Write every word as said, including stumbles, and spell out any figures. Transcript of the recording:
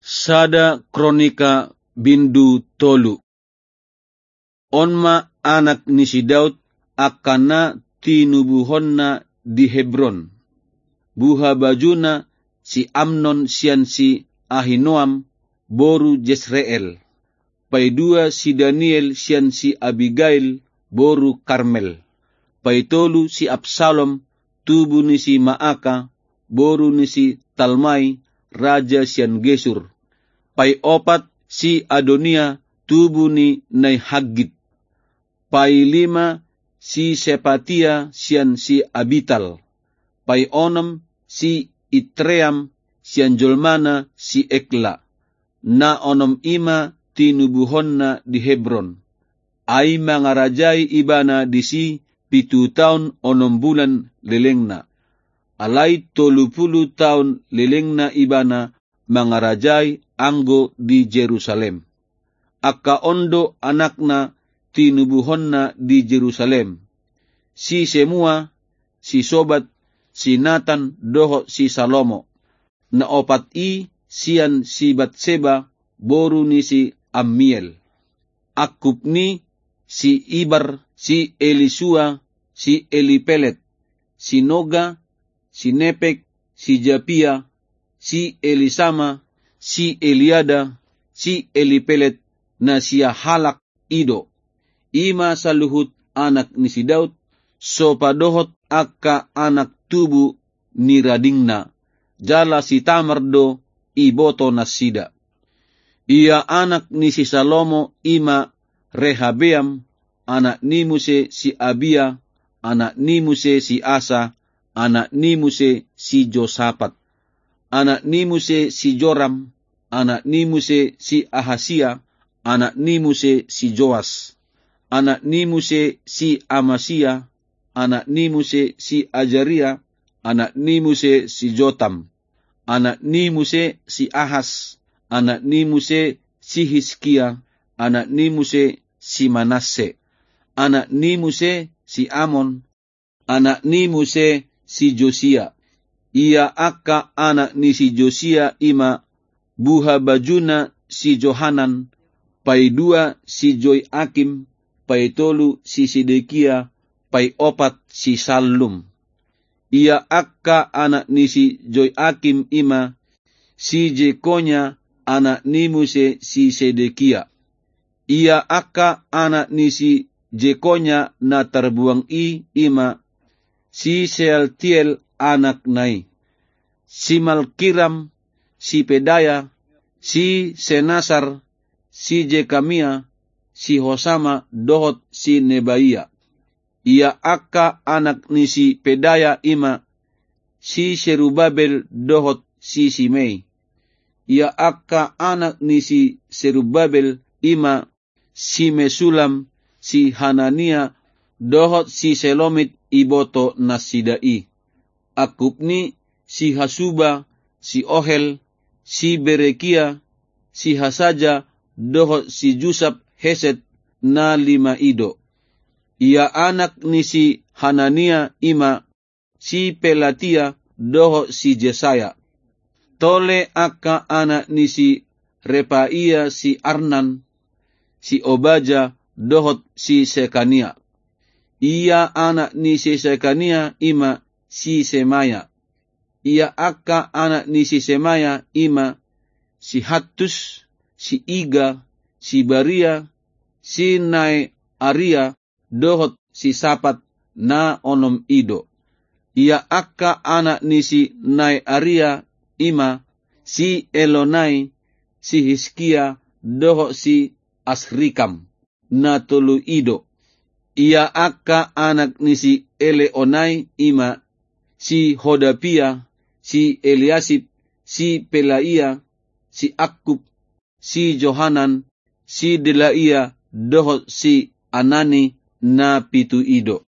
Sada Kronika bindu tolu. On ma anak ni si Daud angka na tinubuhonna di Hebron. Buhabajuna si Amnon sian si Ahinoam, boru Jesreel. Paidua si Daniel sian si Abigail, boru Karmel. Paitolu si Absalom, tubu ni si Maaka, boru ni si Talmai, raja sian Gesur. Paiopat si Adonia, tubu ni nai Haggit. Pailima si Sepatia sian si Abital. Paionom si Itream sian jolmana si Egla. Na onom i ma tinubuhonna di Hebron. Ai mangarajai ibana disi pitu taon onom bulan lelengna. Alai tolu pulu taon lelengna ibana mangarajai anggo di Jerusalem. Angka on do anakna tinubuhonna di Jerusalem: si Semua, si Sobab, si Natan dohot si Salomo. Na opat i sian si Batseba, boru ni si Ammiel. Angkup ni si Ibar, si Elisua, si Elipelet, si Noga, si Nepek, si Japia, si Elisama, si Eliada, si Elipelet, na sia halak i do. I ma saluhut anak ni si Daud, sopadohot angka anak tubu ni radingna, jala si Tamar do iboto nasida. Ia anak ni si Salomo i ma Rehabeam, anak ni muse si Abia, anak ni muse si Asa, anak ni muse si Josapat, anak ni muse si Joram, anak ni muse si Ahasia, anak ni muse si Joas, anak ni muse si Amasia, anak ni muse si Ajaria, anak ni muse si Jotam, anak ni muse si Ahas, anak ni muse si Hiskia, anak ni muse si Manasse, anak ni muse si Amon, anak ni muse si Josia. Ia angka anak ni si Josia i ma buhabajuna si Johanan, paidua si Joiakim, paitolu si Sedekia, paiopat si Sallum. Ia angka anak ni si Joiakim i ma si Jekonya, anak ni muse si Sedekia. Ia angka anak ni si Jekonya na tarbuang i, i ma si Sealtiel anakna i, si Malkiram, si Pedaya, si Senasar, si Jekamia, si Hosama dohot si Nebaia. Ia angka anak ni si Pedaya i ma si Serubabel dohot si Simei. Ia angka anak ni si Serubabel i ma si Mesulam, si Hanania dohot si Selomit iboto nasida i. Angkup ni si Hasuba, si Ohel, si Berekia, si Hasaja dohot si Jusab Hesed, na lima i do. Ia anak ni si Hanania i ma si Pelatia dohot si Jesaya. Tole angka anak ni si Repaia si Arnan, si Obaja dohot si Sekania. Ia anak ni si Sekania i ma si Semaya. Ia angka anak ni si Semaya i ma si Hattus, si Iga, si Baria, si Naearia, dohot si Sapat, na onom i do. Ia angka anak ni si Naearia i ma si Elonai, si Hiskia, dohot si Asrikam, na tolu i do. Ia angka anak ni si Eleonai i ma si Hodapia, si Eliasib, si Pelaia, si Akkup, si Johanan, si Delaia, dohot si Anani, na pitu i do.